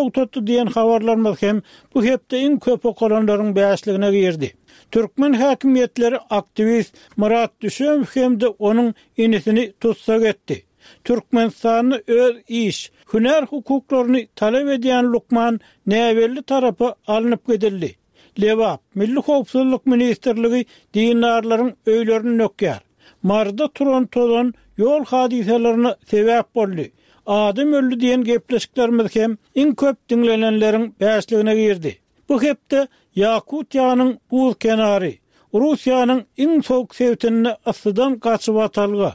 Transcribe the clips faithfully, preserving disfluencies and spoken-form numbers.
Togtatdy diýen habarlarymyz hem bu hepde iň köp okalanlaryň bäşligine girdi. Türkmen häkimiýetleri aktiwist Myrat Düşemow hem-de onuň inisini tussag etdi. Türkmenistanda öz iş, hünär hukuklaryny talap edýän lukman näbelli tarapa alnyp gidildi. Lebap, Milli howpsuzlyk ministrligi dindarlaryň öýlerini dökýär. Maryda turan tozan ýol hadysalaryna sebäp boldy. Adam öldi diýen gepleşiklerimiz hem iň köp diňlenenleriň bäşligine girdi. Bu hepde Ýakutiýanyň buz kenary, Russiýanyň iň sowuk sebitinde yssydan gaçybatalga.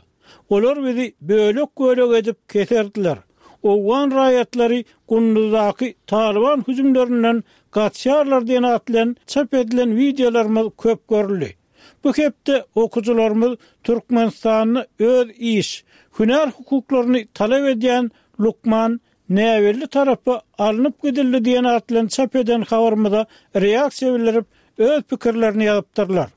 Olar bizi bölek-bölek edip keserdiler. Owgan raýatlary Gunduzdaky Talyban hüjümlerinden gaçýarlar diýen at bilen çap edilen wideolarymyz köp görüldi. Bu hepde okyjylarymyz Türkmenistanda öz iş, hünär hukuklaryny talap edýän lukman näbelli tarapa alnyp gidildi diýen at bilen çap eden habarymyza reaksiýa bildirip, öz pikirlerini ýazypdyrlar.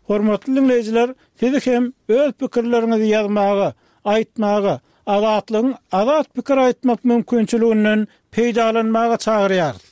Hormatly diňleýjiler, sizi hem öz pikirleriňizi ýazmaga, aýtmaga, Azatlygyň azat pikir aýtmak mümkinçiliginden peýdalanmaga çagyrýarys.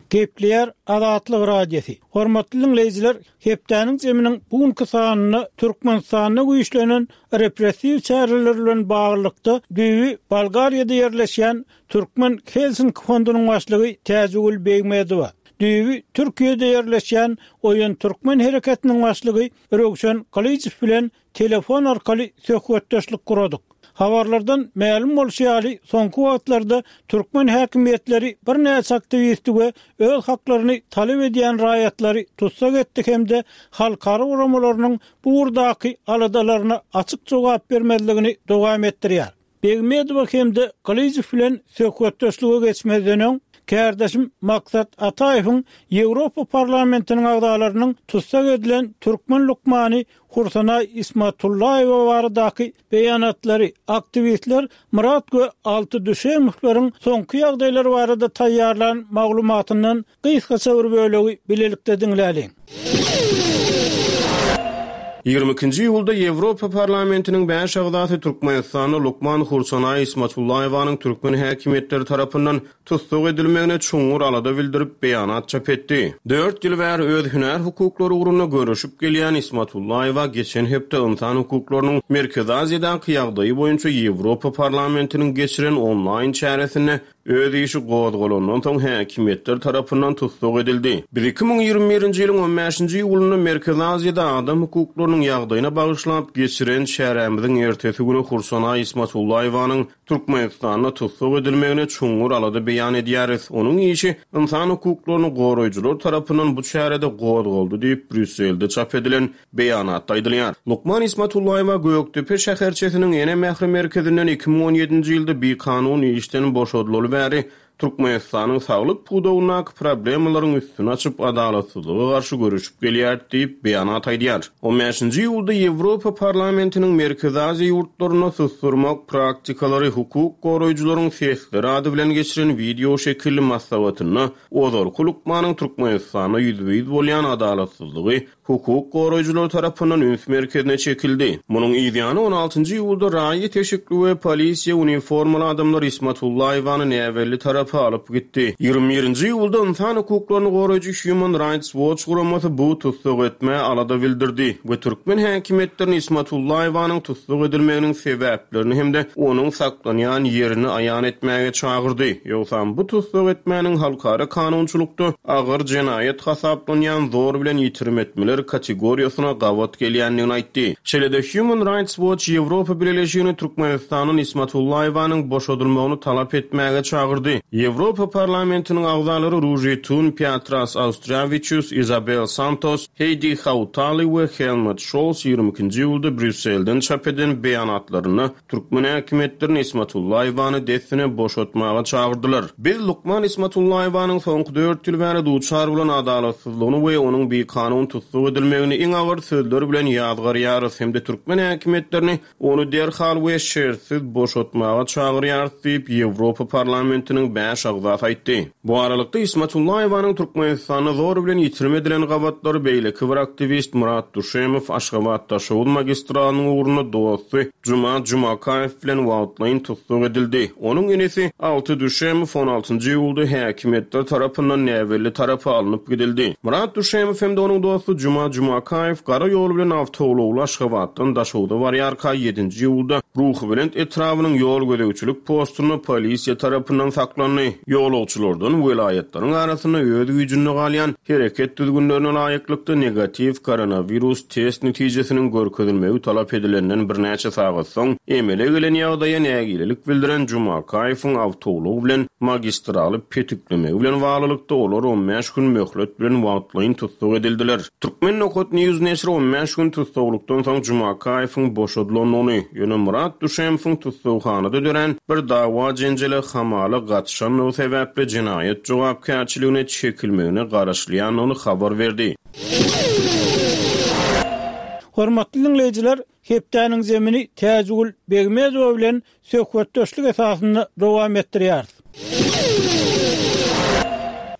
Gepleýär Azatlyk Radiosy. Hormatly diňleýjiler, hepdäniň jeminiň bu günki sanynda Türkmenistanda güýçlenen repressiw çäreler bilen baglylykda düýbi Bolgariýada ýerleşýän Türkmen Helsinki fondunyň başlygy Täjigül Begmedowa, düýbi Türkiýede ýerleşýän Oýan Türkmen hereketiniň başlygy Röwşen Gylyjow bilen telefon arkaly söhbetdeşlik guradyk. Habarlardan mälim bolşy ýaly, soňky wagtlarda türkmen häkimiýetleri birnäçe aktiwisti we öz haklaryny talap edýän raýatlary tussag etdi hem-de halkara guramalarynyň bu ugurdaky aladalaryna açyk jogap bermezligini dowam etdirýär. Begmedowa hem-de Gylyjow bilen söhbetdeşlige geçmezden öň, kärdeşim Maksat Ataýewiň Ýewropa Parlamentiniň agzalarynyň tussag edilen türkmen lukmany Hursanaý Ismatullaýewa baradaky beýanatlary, aktiwistler Myrat we Alty Düşemowlaryň soňky ýagdaýlary barada taýýarlan maglumatyndan gysgaça bir bölegi bilelikde diňläliň. Ýigrimi ikinji iýulda Ýewropa Parlamentiniň bäş agzasy Türkmenistanda lukman Hursanaý Ismatullaýewanyň türkmen häkimiýetleri tarapyndan tussag edilmegine çuňňur alada bildirip, beýanat çap etdi. Dört ýyl bäri öz hünär hukuklary ugrunda göreşip gelýän Ismatullaýewa geçen hepde ynsan hukuklarynyň Merkezi Aziýadaky ýagdaýy boýunça Ýewropa Parlamentiniň geçiren onlaýn çäresinde öz işi gozgalandan soň häkimiýetler tarapyndan tussag edildi. Biz iki müň ýigrimi birinji ýylyň on bäşinji iýulynda Merkezi Aziýada adam hukuklarynyň ýagdaýyna bagyşlap geçiren çärämiziň ertesi güni Hursanaý Ismatullaýewanyň Türkmenistanda tussag edilmegine çuňňur alada beýan edýäris. Onuň işi ynsan hukuklaryny goraýjylar tarapyndan bu çärede gozgaldy diýip, Brýusselde çap edilen beýanatda aýdylýar. Lukman Ismatullaýewa Gökdepe şäherçesiniň Ene mähri merkezinden iki müň on ýedinji ýylda bikanun işden boşadylaly bäri Türkmenistanyň saglyk pudagyndaky problemalaryň üstüni açyp, adalatsyzlyga garşy göreşip gelýär diýip, beýanat aýdýar. On bäşinji iýulda Ýewropa Parlamentiniň Merkezi Aziýa ýurtlarynda susdurmak praktikalary hukuk goraýjylaryň sesleri ady bilen geçiren wideo şekilli maslahatynda ozalky lukmanyň Türkmenistanda ýüzbe-ýüz bolýan adalatsyzlygy hukuk goraýjylar tarapyndan üns merkezine çekildi. Munuň ýany on altynjy iýulda raýat eşikli we polisiýa uniformaly adamlar Ismatullaýewany näbelli tarapa alyp gitdi. Ýigrimi birinji iýulda ynsan hukuklaryny goraýjy Human Rights Watch guramasy bu tussag etmä alada bildirdi we türkmen häkimiýetlerini Ismatullaýewanyň tussag edilmeginiň sebäplerini hem-de onuň saklanýan ýerini aýan etmäge çagyrdy. Ýogsam bu tussag etmäniň halkara kanunçylykda agyr jenaýat hasaplanýan zor bilen ýitirim etmeler kategoriýasyna gabat gelýändigini aýtdy. Şeýle-de Human Rights Watch Ýewropa Bileleşigini Türkmenistanyň Ismatullaýewanyň boşadylmagyny talap etmäge çagyrdy. Ýewropa Parlamentiniň agzalary Ruži Tun, Piotras Austriawiçius, Isabel Santos, Heidi Hautali we Helmut Scholz ýigrimi ikinji iýulda Brýusselden çap eden beýanatlarynda türkmen häkimiýetlerini Ismatullaýewany dessine boşatmaga çagyrdylar. Biz lukman Ismatullaýewanyň soňky dört ýyl bäri duçar bolan adalatsyzlygyny we onuň bikanun tussag edilmegini iň agyr sözler bilen ýazgarýarys hem-de türkmen häkimiýetlerini ony derhal we şertsiz boşatmaga çagyrýarys diýip, Ýewropa Parlamentiniň bäş bäş agzasy aýtdy. Bu aralykda Ismatullaýewanyň Türkmenistanda zor bilen ýitirim edilen gabatlary beýleki bir aktiwist Murat Duşemow Aşgabat Daşoguz magistralynyň ugrunda dosty Juma Jumakaýew bilen wagtlaýyn tussag edildi. Onuň inisi Alty Duşemow on altynjy iýulda häkimiýetler tarapyndan näbelli tarapa alnyp gidildi. Murat Duşemow hem-de onuň dosty Juma Jumakaýew gara ýol bilen awtoulagly Aşgabatdan Daşogza barýarka ýedinji iýulda Ruhubelent etrabynyň ýol gözegçilik postunda polisiýa tarapyndan saklandy. Ýolagçylardan welaýatlaryň arasynda öz güýjünde galýan hereket düzgünlerine laýyklykda negatiw koronawirus test netijesiniň görkezilmegi talap edilenden birnäçe sagat soň emele gelen ýagdaýa nägilelik bildiren Jumakaýewiň awtoulag bilen magistraly petiklemegi bilen baglylykda olar on bäş gün möhlet bilen wagtlaýyn tussag edildiler. Türkmen Nokat News neşiri on bäş gün tussaglykdan soň Jumakaýewiň boşadylandygyny, ýöne Murat Duşemowyň tussaghanada dörän bir dawa jenjele hamala gatyşandygy sebäpli jenaýat jogapkärçiligine çekilmegine garaşylýandygyny habar berdi. Hormatly dinleýjiler, hepdäniň zemini Täjigül Begmezowa bilen söhbetdeşlik esasynda dowam etdirýäris.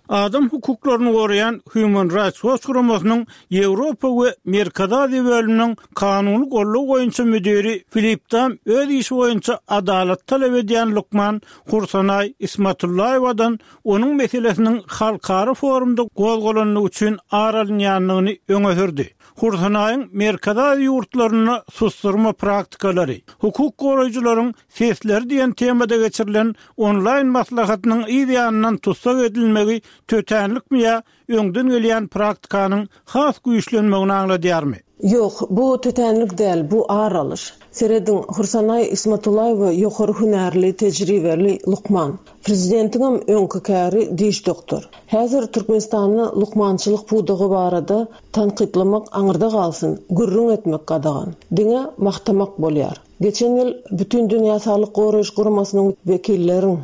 Adam hukuklaryny goraýan Human Rights Watch guramasynyň Ýewropa we Merkezi Aziýa bölüminiň kanuny goldaw boýunça müdiri Filip Dam öz işi boýunça adalat talap edýän lukman Hursanaý Ismatullaýewadan onuň meselesiniň halkara forumda gozgalandygy üçin ar alynýandygyny öňe sürdi. Hursanaýyň Merkezi Aziýa ýurtlarynda susturma praktikalary, hukuk goraýjylaryň sesleri diýen temada geçirilen onlaýn maslahatynyň yz ýanyndan tussag edilmegi tötänlikmi ýa öňden gelýän praktikanyň has güýçlenmegini aňladýarmy? Ýok, bu tötänlik däl, bu ar alyş. Serediň, Hursanaý Ismatullaýewa ýokary hünärli, tejribeli lukman. Prezidentiňem öňki käri diş doktor. Häzir Türkmenistanda lukmançylyk pudagy barada tankytlamak aňyrda galsyn, gürrüň etmek gadagan. Diňe magtamak bolýar. Geçen ýyl Bütün Dünýä Saglyk Goraýyş Guramasynyň wekilleriň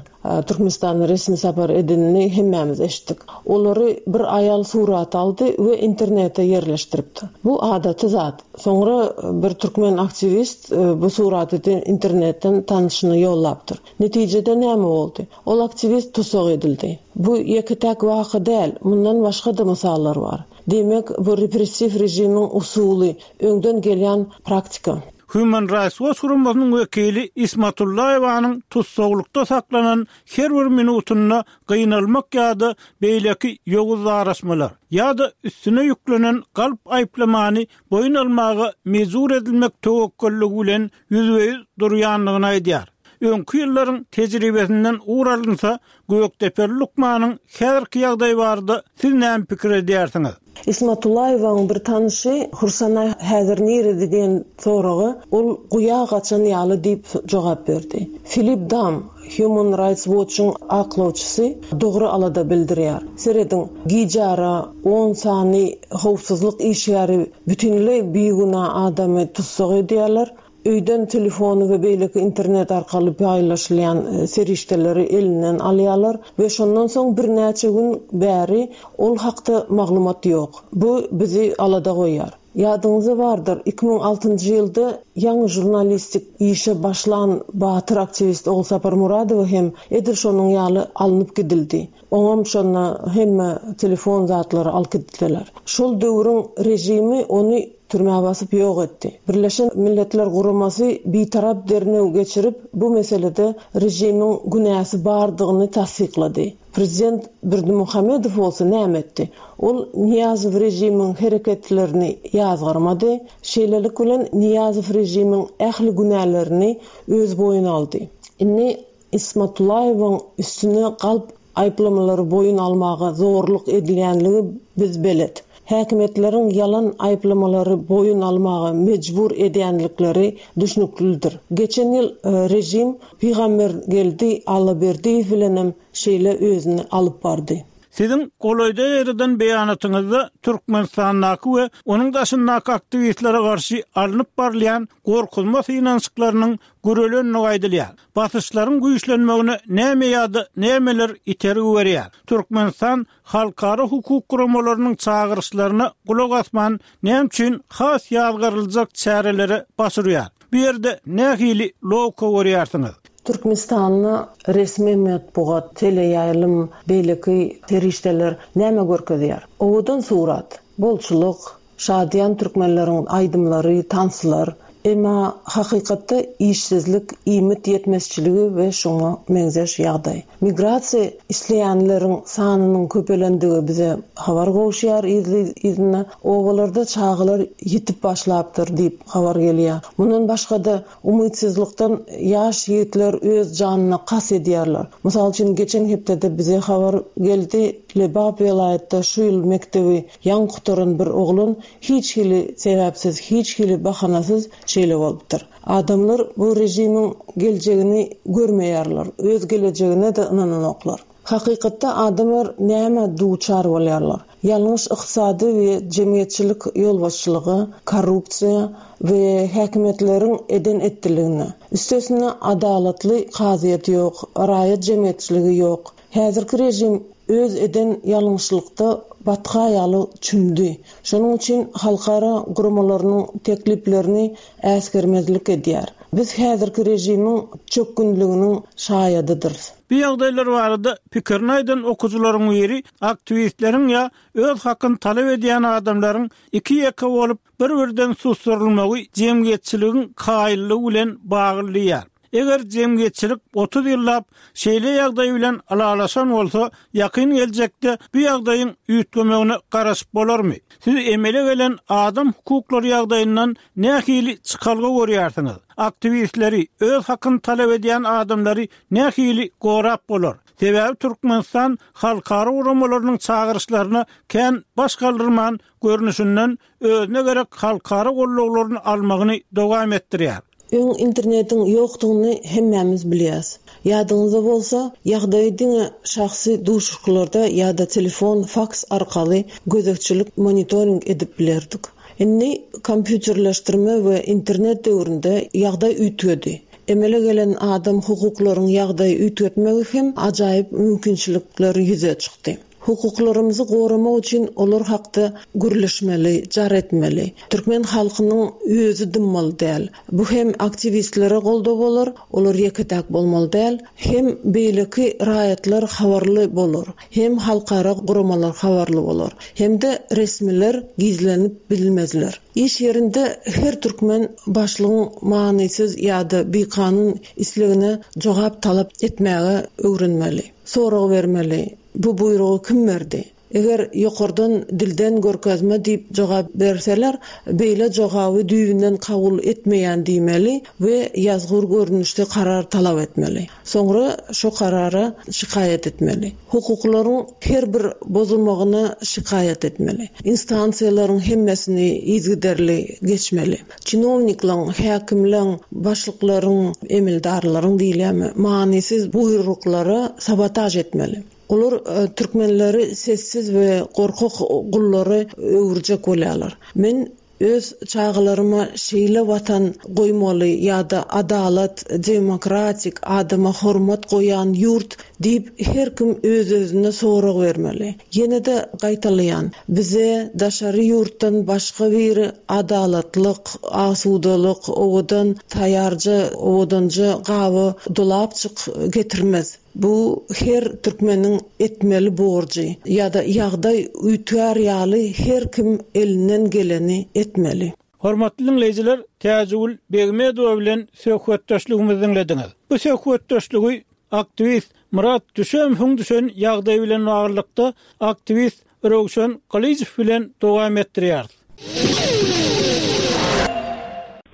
Türkmenistanda resmi sapar edenini hemmämiz eşitdik. Olary bir aýal surat aldy we internete ýerleşdiripdi. Bu adaty zat. Soňra bir türkmen aktiwist bu suraty internetden tanyşyny ýollapdyr. Netijede näme boldy? Ol aktiwist tussag edildi. Bu ýeke-täk waka däl, mundan başga-da mysallar bar. Diýmek, bu repressiw režimiň usuly, öňden gelýän praktika. Human Rights Watch guramasynyň wekili Ismatullaýewanyň tussaglykda saklanan her bir minutynda gynalmak ýa-da beýleki ýowuz daraşmalar ýa-da üstüne ýüklenen galp aýyplamany boýun almaga mejbur edilmek töwekgelligi bilen ýüzbe-ýüz durýandygyny aýdýar. Öňki ýyllaryň tejribesinden ugur alynsa, Gökdepeli lukmanyň häzirki ýagdaýy barada siz näme pikir edýärsiňiz? Ismatullaýewanyň bir tanyşy Hursanaý häzir nirede diýen soraga ol guýa gaçan ýaly diýip jogap berdi. Filip Dam, Human Rights Watch'yň aklawçysy dogry alada bildirýär. Serediň, gijara on sany howpsuzlyk işgäri bütünleý bigünä adamy tussag edýärler. Öýden telefony we beýleki internet arkaly paýlaşylýan serişdeleri elinden alýarlar we şondan soň birnäçe gün bäri ol hakda maglumat ýok. Bu bizi alada goýýar. Ýadyňyzda bardyr, iki müň altynjy ýylda ýaňy žurnalistik işe başlan batyr aktiwist Ogulsapar Muradowa hem edil şonuň ýaly alnyp gidildi. Oňam şonda hemme telefon zatlary alyp gitdiler. Şol döwrüň režimi ony türmä basyp ýok etdi. Birleşen Milletler Guramasy bitarap derňew geçirip, bu meselede režimiň günäsi bardygyny tassyklady. Prezident Berdimuhamedow bolsa näme etdi? Ol Niýazow režimiň hereketlerini ýazgarmady. Şeýlelik bilen Niýazow režimiň ähli günälerini öz boýuna aldy. Indi Ismatullaýewiň üstüne galp aýyplamalary boýun almaga zorluk edilýänligi biz belet. Häkimiýetleriň ýalan aýyplamalary boýun almaga mejbur edýänlikleri düşnüklidir. Geçen ýyl režim Pygambergeldi Allaberdiýew bilenem şeýle özüni alyp bardy. Siziň golaýda ýerden beýanatyňyzda Türkmenistandaky we onuň daşyndaky aktiwistlere garşy alnyp barylýan gorkuzma synanyşyklarynyň görelenligi aýdylýar. Basyşlaryň güýçlenmegine näme ýa-da nämeler itergi berýär? Türkmenistan halkara hukuk guramalarynyň çagyryşlaryna gulak asman näme üçin has ýazgaryljak çärelere başurýar? Bu ýerde nähili logika görýärsiňiz? Türkmenistanda resmi metbugat, teleýaýlym, beýleki serişdeler näme görkezýär? Owadan surat, bolçulyk, şadyýan türkmenleriň aýdymlary, tanslar. Emma hakykatda işsizlik, iýmit ýetmezçiligi we şoňa meňzeş ýagdaý. Migrasiýa isleýänleriň sanynyň köpelendigi bize habar gowuşýar yzly-yzyna. Obalarda çagalar ýitip başlapdyr diýip habar gelýär. Mundan başga-da umytsyzlykdan ýaş ýigitler öz janyna kast edýärler. Mysal üçin, geçen hepdede bize habar geldi, Lebap welaýatda şu ýyl mekdebi ýaňy gutaran bir oglan hiç hili sebäpsiz, hiç hili bahanasyz şeýle bolupdyr. Adamlar bu režimiň geljegini görmeýärler, öz gelejegine-de ynananoklar. Hakykatda adamlar näme duçar bolýarlar? Ýalňyş ykdysady we jemgyýetçilik ýolbaşçylygy, korrupsiýa we häkimiýetleriň eden etdiligine. Üstesine adalatly kazyýet ýok, raýat jemgyýetçiligi ýok. Häzirki režim öz eden ýalňyşlykda batga ýaly çümdi. Şonuň üçin halkara guramalarynyň tekliplerini äsgermezlik edýär. Biz häzirki režimiň çökgünliginiň şaýadydyrys. Bu ýagdaýlar barada pikirini aýdan okyjylaryň biri aktiwistleriň ýa öz hakyny talap edýän adamlaryň iki ýeke bolup bir-birden susturylmagy jemgyýetçiligiň kaýyllygy bilen bagly diýýär. Eger jemgyýetçilik otuz ýyllap şeýle ýagdaý bilen ylalaşan bolsa, ýakyn geljekde bu ýagdaýyň üýtgemegine garaşyp bolarmy? Siz emele gelen adam hukuklary ýagdaýyndan nähili çykalga görýärsiňiz? Aktiwistleri, öz hakyny talap edýän adamlary nähili gorap bolar? Sebäbi Türkmenistan halkara guramalarynyň çagyryşlaryna kän baş galdyrman görnüşinden özüne gerek halkara gollaglaryny almagyny dowam etdirýär. Öň internetiň ýokdugyny hemmämiz bilýäs. Ýadyňyzda bolsa, ýagdaýy diňe şahsy duşuşyklarda ýa-da telefon, faks arkaly gözegçilik, monitoring edip bilerdik. Indi kompýuterleşdirme we internet döwründe ýagdaý üýtgedi. Emele gelen adam hukuklaryň ýagdaýy üýtgetmegi hem ajaýyp mümkinçilikler ýüze çykdy. Hukuklarymyzy goramak üçin olar hakda gürleşmeli, jar etmeli. Türkmen halkynyň özi dymmaly däl. Bu hem aktiwistlere goldaw bolar, olar ýeke-täk bolmaly däl, hem beýleki raýatlar habarly bolar, hem halkara guramalar habarly bolar, hem-de resmiler gizlenip bilmezler. Iş ýerinde her türkmen başlygyň manysyz ýa-da bikanun islegine jogap talap etmäge öwrenmeli. Sorag bermeli. Bu buýrugy kim berdi? Eger ýokardan dilden görkezme diýip jogap berseler, beýle jogaby düýbünden kabul etmeýän diýmeli we ýazgyr görnüşde karar talap etmeli. Soňra şo karara şikaýat etmeli. Hukuklaryň her bir bozulmagyna şikaýat etmeli. Instansiýalaryň hemmesini yzygiderli geçmeli. Çinowniklaryň, häkimleriň, başlyklaryň, emeldarlaryň diýilýärmi, manysyz buýruklara sabotaž etmeli. Olar, e, türkmenleri sessiz we gorkak gullary öwürjek bolýarlar. Men öz çagalaryma şeýle watan goýmaly ýa-da adalat, demokratik, adama hormat goýan ýurt diýip her kim öz-özüne sorag bermeli. Ýene-de gaýtalaýan, bize daşary ýurtdan başga bir adalatlyk, asudalyk, owadan taýýarja, owadanja gaby dolapçyk getirmez. Bu her türkmeniň etmeli borjy ýa-da ýagdaý üýtgär ýaly her kim elinden geleni etmeli. Hormatly dinleýjiler, Täjigül Begmedowa bilen söhbetdeşligimizi dinlediňiz. Bu söhbetdeşligi aktiwist Murat Düşemowyň düşen ýagdaýy bilen baglylykda aktiwist Röwşen Gylyjow bilen dowam etdirýäris.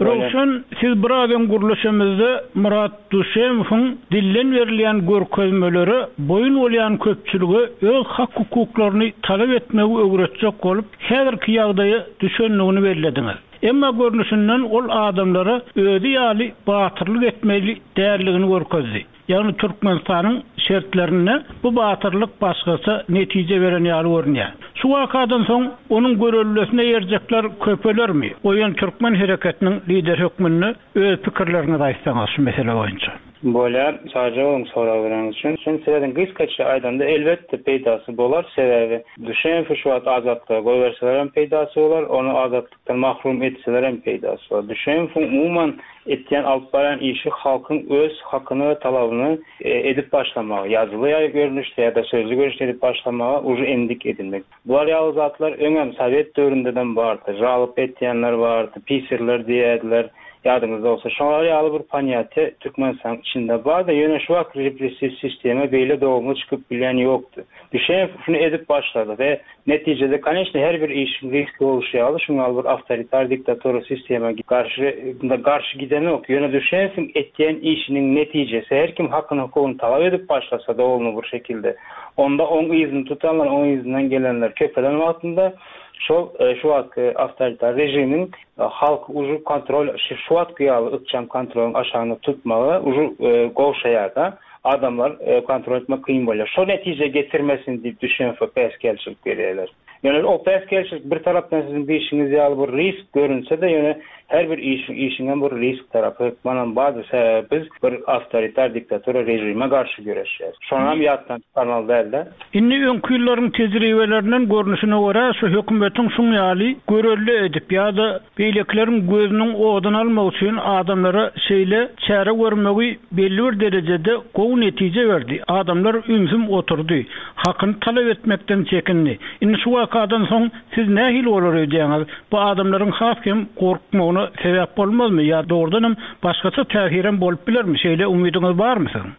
Röwşen, siz biraz öň gürleşemizde Murat Düşemowyň dilden berilýän görkezmelere boýun bolýan köpçülige öz hak hukuklaryny talap etmegi öwretjek bolup, häzirki ýagdaýa düşendigini bellediňiz. Emma görnüşinden ol adamlara özi ýaly batyrlyk etmeli däldigini görkezdi. Ýagny Türkmenistanyň şertlerinde bu batyrlyk başgaça netije beren ýaly görünýär. Şu wakadan soň onuň görellesine ýerjekler köpelermi? Oýan Türkmen hereketiniň lideri hökmünde öz pikirleriňizi aýtsaňyz şu mesele boýunça. Bolýar, sagja boluň sorag bereniňiz üçin. Sen serediň gysgaça aýdanda elbetde peýdasy bolar, sebäbi Düşemowy şu wagt azatlyga goýberseler hem peýdasy bolar, ony azatlykdan mahrum etseler hem peýdasy bolar. Düşemowyň umuman etýän alyp barýan işi halkyň öz hakyny we talabyny edip başlamagy, ýazyly görnüşde ýa-da sözli görnüşde edip başlamagy uje endik edinmek. Bular ýaly zatlar öňem sowet döwründeden bardy. Žalyp etýänler bardy, pisirler diýerdiler. Ýadyňyzda bolsa, şolar ýaly bir ponýatiýa Türkmenistanyň içinde bardy. Ýöne şu wagt repressiw sistema beýle dogumly çykyp bilýän ýokdy. Düşemow şuny edip başlady we netijede, koneçne, her bir işiň riski bolşy ýaly, şuňa bir awtoritar diktatura sistema garşy garşy gidenok. Ýöne Düşemowyň etýän işiniň netijesi her kim hakyny hukugyny talap edip başlasa dogumly bir şekilde, onda oň yzyny tutanlar, oň yzyndan gelenler köpelen wagtynda şol şu wagtky awtoritar režimiň halk uju kontrol şu wagtky ýaly ykjam kontrolyň aşagynda tutmagy uju gowşaýar-da. Adamlar kontrol etmek kyn bolýar. Şo netije getirmesin diýip Düşemowa päsgelçilik berýärler. Ýöne o päsgelçilik bir tarapdan siziň diýişiňiz ýaly bir risk görünse-de, ýöne her bir işiň işiňem bir risk tarapy hökmanam bardyr. Sebäbi biz bir awtoritar diktatura režime garşy göreşýäris. Şonam ýatdan çykarmaly däl-de. Indi öňki ýyllaryň tejribelerinden görnüşine görä şu hökümetiň şuň ýaly görelde edip ýa-da beýlekileriň gözüniň oduny almak üçin adamlara şeýle çäre görmegi belli bir derejede gowy netije berdi. Adamlar ümsüm oturdy. Hakyny talap etmekden çekindi. Indi şu wakadan soň siz nähili bolar öýdýäňiz? Bu adamlaryň has hem gorkmagyna sebäp bolmazmy ýa dogrudanam başgaça täsirem bolup bilermi? Şeýle umydyňyz barmy siziň?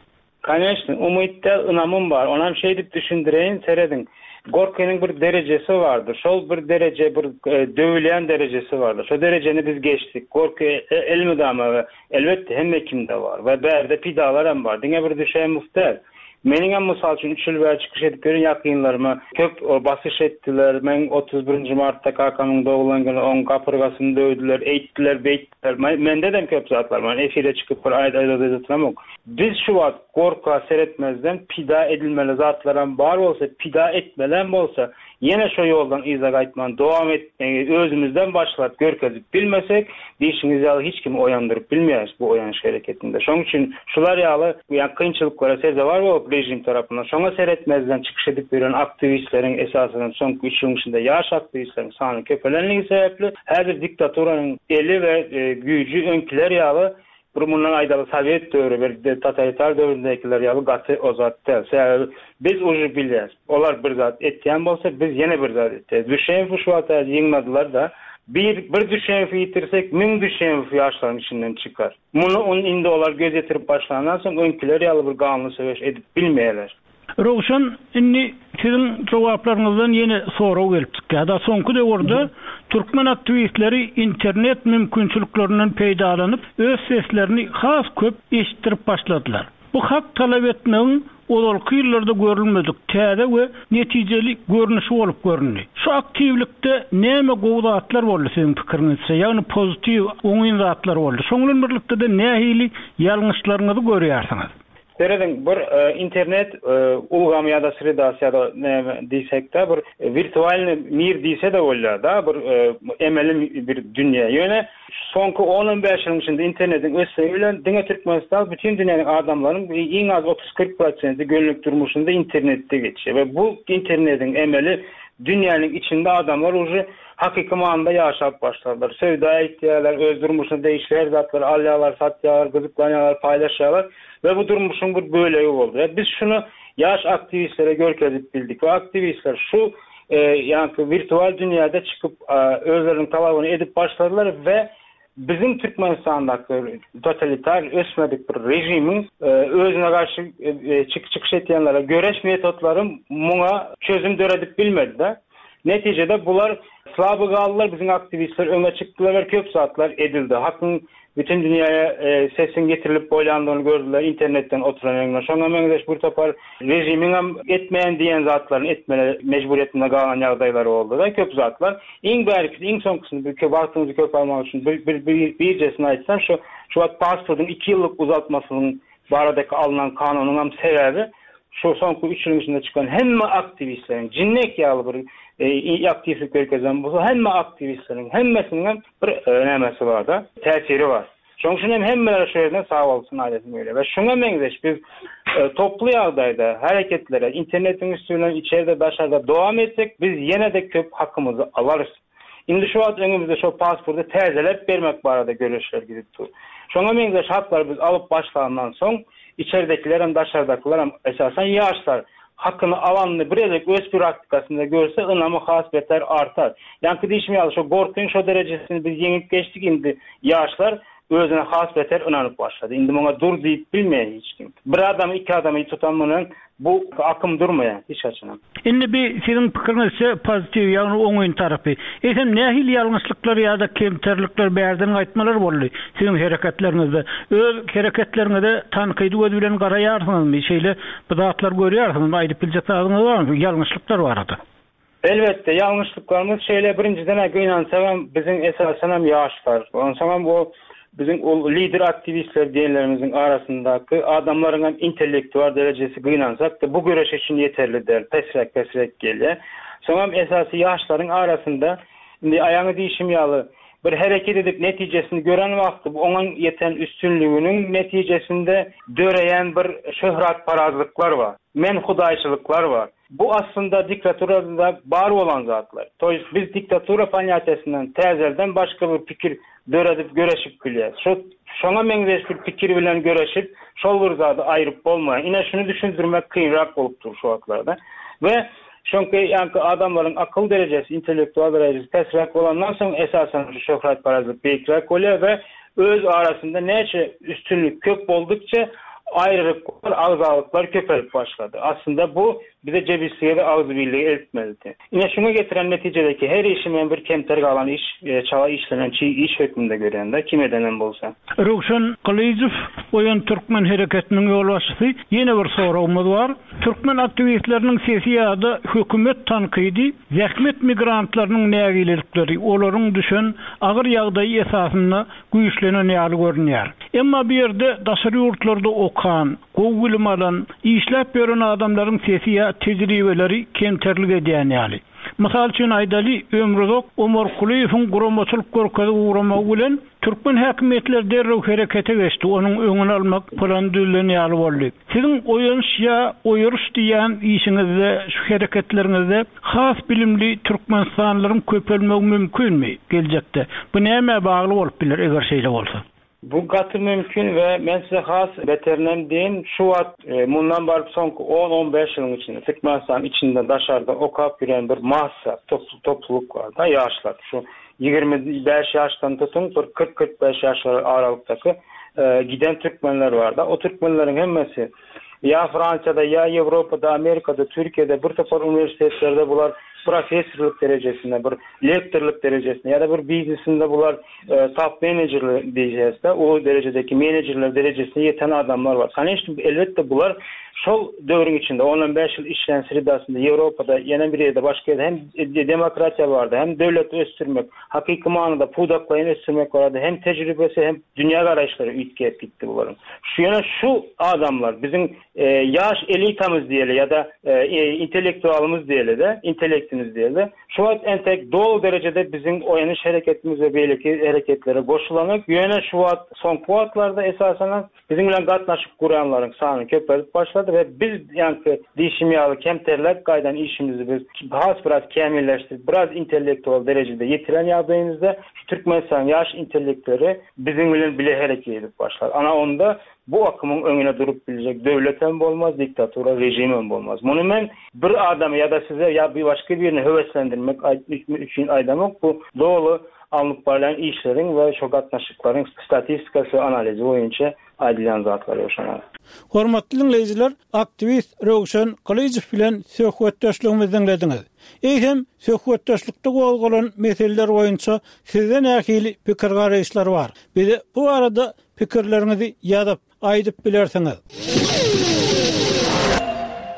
Koneçne, umyt däl, ynamym bar. Onam şeýdip düşündireýin, serediň. Gorkynyň bir derejesi bardyr. Şol bir dereje, bir döwülýän derejesi bardyr. Şo derejeni biz geçdik. Gorky elmydama we elbetde hemme kimde bar we bärde pidalar hem bar. Diňe bir Düşemow däl. Meniň hem mysal üçin üç ýyl bäri çykyş edip ýören ýakynlaryma köp basyş etdiler. Men otuz birinji martda kakamyň doglan güni oň gapyrgasyny döwdüler, eýtdiler, beýtdiler. Mende de köp zatlar bar. Efire çykyp bir aýda aýda oturamok. Biz şu wagt gorka seretmezden pida edilmeli zatlaram bar bolsa, pida etmelem bolsa, ýene şo ýoldan yza gaýtman dowam etmegi özümizden başlap görkezip bilmesek, diýişiňiz ýaly hiç kimi oýandyryp bilmeýäris bu oýanyş hereketinde. Şonuň üçin şular ýaly ýa kynçylyklara sezewar bolup rejim tarapyndan şoňa seretmezden çykyş edip ýören aktiwistleriň esasyny soňky üç ýylyň içinde ýaş aktiwistleriň sany köpelenligi sebäpli häzir diktaturanyň eli we güýji öňküler ýaly bir mundan aýdaly sowet döwri bir totalitar döwründekiler ýaly gaty ozat däl. Sebäbi biz uje bilýäris. Olar bir zat etýän bolsa, biz ýene bir zat etýäris. Düşemowy şu wagt ýygnadilar da bir bir Düşemowy ýitirsek, müň Düşemow ýaşlaryň içinden çykar. Muny on indi olar göz ýetirip başlandan soň öňküler ýaly bir ganly söweş edip bilmeýärler. Röwşen, indi siziň jogaplaryňyzdan ýene sorag gelip çykýar. Da soňky döwürde türkmen aktiwistleri internet mümkinçiliklerinden peýdalanyp, öz seslerini has köp eşitdirip başladylar. Bu hak talap etmegiň ozalky ýyllarda görülmedik täze we netijeli görnüşi bolup göründi. Şu aktiwlikde näme gowy zatlar boldy siziň pikiriňizçe? Ýagny pozitiw oňyn zatlar boldy. Şonuň bilen birlikde de nähili ýalňyşlaryňyzy görýärsiňiz? Serediň, bir internet ulgamy ýa-da sredasy ýa-da näme diýsek-de bir wirtualny mir diýse de bolýar da, bir emeli bir dünýä. Ýöne soňky on bäş ýylyň içinde internetiň ösmegi bilen diňe Türkmenistan bütün dünýäniň adamlaryň iň az otuz kyrk prosenti günlük durmuşynda internetde geçýär we bu internetiň emeli dünýäniň içinde adamlar uje hakyky manyda ýaşap başladylar. Söwda etýärler, öz durmuşyna degişli her zatlary alýarlar, satýarlar, gyzyklanýarlar, paýlaşýarlar we bu durmuşyň bir bölegi boldy. We biz şunu ýaş aktiwistlere görkezip bildik we aktiwistler şu ýa-ni wirtual dünýäde çykyp özleriniň talabyny edip başladylar we bizim Türkmenistandaky totalitar ösmedik bir režimiň özüne garşy çykyş etýänlere göreş metodlary muňa çözüm döredip bilmedi. Netijede bular slaby galdylar, bizim aktiwistler öňe çykdylar we köp zatlar edildi. Hakyň bütün dünýäye sesin getirilip boýlandygyny gördüler internetden oturan öňüne. Şoňa meňzeş bir topar režimiň hem etmeýän diýen zatlaryny etmeli mejburiýetinde galan ýagdaýlary boldy da köp zatlar. Iň bärkisi, iň soňkusyny bir köp wagtyňyzy köp almak üçin bir, bir, bir, birjesini aýtsam, şu, şu wagt pasportyň iki ýyllyk uzaltmasynyň baradaky alnan kanunyň hem sebäbi şu soňky üç ýylyň içinde çykan hemme aktiwistleriň jinnek ýaly bir aktiwlik görkezen bolsa hemme aktiwistleriň hemmesiniň hem bir nämesi bar da, täsiri bar. Şonuň üçin hem hemmeler şu ýerden sag bolsun aýdasym gelýär. We şuňa meňzeş biz e, toplu ýagdaýda hereketlere internetiň üsti bilen içeride daşarda dowam etsek biz ýene-de köp hakymyzy alarys. Indi şu wagt öňümizde şu pasporty täzeläp bermek barada göreşler gidip dur. Şoňa meňzeş haklary biz alyp başlandan soň içeridekiler hem daşardakylar hem esasen ýaşlar hakyny alanyny bir gezek öz praktikasynda görse ynamy has beter artar. Ýaňky diýişim ýaly şu gorkyň şo derejesini biz ýeňip geçdik indi ýaşlar özüne has beter ynanyp başlady. Indi muňa dur diýip bilmeýär hiç kim. Bir adamy iki adamy tutan munuň bu akym durmaýar hiç haçan. Indi bir siziň pikiriňizçe pozitiw, ýagny oňyn tarapy. Eýsem nähili ýalňyşlyklar ýa-da kemterlikler bärden gaýtmalar boldy siziň hereketleriňizde? Öz hereketleriňize tankydy göz bilen garaýarsyňyzmy? Şeýle bu zatlar görýärsiňizmi? Aýdyp biljek zadyňyz barmy ýalňyşlyklar barada? Elbetde ýalňyşlyklarymyz şeýle birinjiden gynansagam biziň esasen hem ýaşlar. Onsoň hem o biziň ol lider aktiwistler diýenlerimiziň arasyndaky adamlaryň hem intellektual derejesi gynansak da bu göreş üçin ýeterli däl, pesräk pesräk gelýär. Soň hem esasy ýaşlaryň arasynda indi aýaňy diýişim ýaly bir hereket edip netijesini gören wagty bu oňa ýeten üstünliginiň netijesinde döreýän bir şöhratparazlyklar bar. Men hudaýçylyklar bar. Bu aslında diktaturada bar olan zatlar. To jest biz diktatura ponýatiýasyndan täzeden başga bir pikir döredip göreşip bilýär. Şo şoňa meňzeş bir pikir bilen göreşip şol bir zady aýryp bolmaýar. Ine şunu düşündirmek kynrak bolup dur şu wagtlarda. We çünki ýaňky adamlaryň akyl derejesi, intellektual derejesi pesräk bolandan soň esasen şu şöhratparazlyk beýikräk bolýar we öz arasynda näçe üstünlik köp boldukça ayrılıklar, agzalyklar köpelip başlady. Aslında bu bize cebisliğe ve agzybirliğe eltmelidi. Ine şuna getiren netijedeki her işimin bir kemter galan iş, e, çala işlenen çiğ iş hökmünde görýän kim edenen bolsa. Röwşen Gylyjow Oýan Türkmen hereketiniň ýolbaşçysy ýene bir soragymyz bar. Türkmen aktiwistleriniň sesi ýa-da hökümet tankydy zähmet migrantlarynyň nägilelikleri olaryň düşen agyr ýagdaýy esasynda güýçlenen ýaly görünýär. Emma bu ýerde daşary ýurtlarda okan, gowy bilim alan, işläp ýören adamlaryň sesi ýa tejribeleri kemterlik edýän ýaly. Mysal üçin aýdaly Ömrüzok Omar Kulyýewiň guramaçylyk görkezip ugramagy bilen türkmen häkimiýetleri derrew herekete geçdi. Onuň öňüni almak plan düzülen ýaly boldy. Siziň oýanyş ýa oýuruş diýen işiňizde, şu hereketleriňizde has bilimli Türkmenistanlylaryň köpelmegi mümkinmi geljekde? Bu näme bagly bolup biler eger şeýle bolsa? Bu gaty mümkin we men size has beterinden diýeyim, şu wagt e, mundan baryp soňky on on beş ýylyň içinde Türkmenistan içinde daşarda okap ýören bir massa top-, topluluk bar da ýaşlar. Şu ýigrimi bäş ýaşdan tutun bir kyrk kyrk bäş ýaşlar aralykdaky, e, giden türkmenler bar da. O türkmenleriň hemmesi ýa Fransiyada, ýa Ýewropada, Amerikada, Türkiýede bir topar uniwersitetlerde bular professorlyk derejesinde, bir lektorlyk derejesinde ýa-da bir biznesinde bular, e, top menejerler diýeceğiz o derejedeki menejerler derejesine ýeten adamlar bar. Конечно, elbetde bular şol döwrüň içinde on on beş ýyl işlän sredasynda Ýewropada, ýene bir ýerde başga ýerde hem demokratiýa bardy, hem döwleti ösdürmek, hakyky manyda pudaklaýyn ösdürmek bardy, hem tejribesi, hem dünýä garaýyşlary üýtgäp gitdi bularyň. Şu ýöne şu adamlar biziň, e, ýaş elitamyz diýeli ýa-da, e, e, intellektualymyz diýeli de, intellektimiz diýeli. Şu wagt entek doly derejede biziň oýanyş hereketimiz we beýleki hereketlere goşulanyp, ýöne şu wagt soňky wagtlarda esasen biziň bilen gatnaşyp guranlaryň sany köpelip başlady we biz ýaňky diýişim ýaly kemterlek gaýdan işimizi biz has biraz kämilleşdirip, biraz intellektual derejede ýetiren ýagdaýymyzda şu Türkmenistan ýaş intellektleri biziň bilen bile hereket edip başlar. Ana onda bu akymyň öňüne durup biljek döwlet hem bolmaz, diktatura rejim hem bolmaz. Muny men bir adamy ýa-da size ýa bir başga birini höweslendirmek üçin aýdamok. Bu doly alnyp barýan işleriň we şo gatnaşyklaryň statistikasy analizi boýunça aýdylýan zatlar ýoşana. Hormatly dinleýjiler, aktiwist Röwşen Gylyjow bilen söhbetdeşligimizi diňlediňiz. Eýsem, söhbetdeşlikde gozgalan meseleler boýunça sizde nähili pikir garaýyşlar bar? Bize bu arada pikirleriňizi ýazyp, aýdyp bilersiňiz.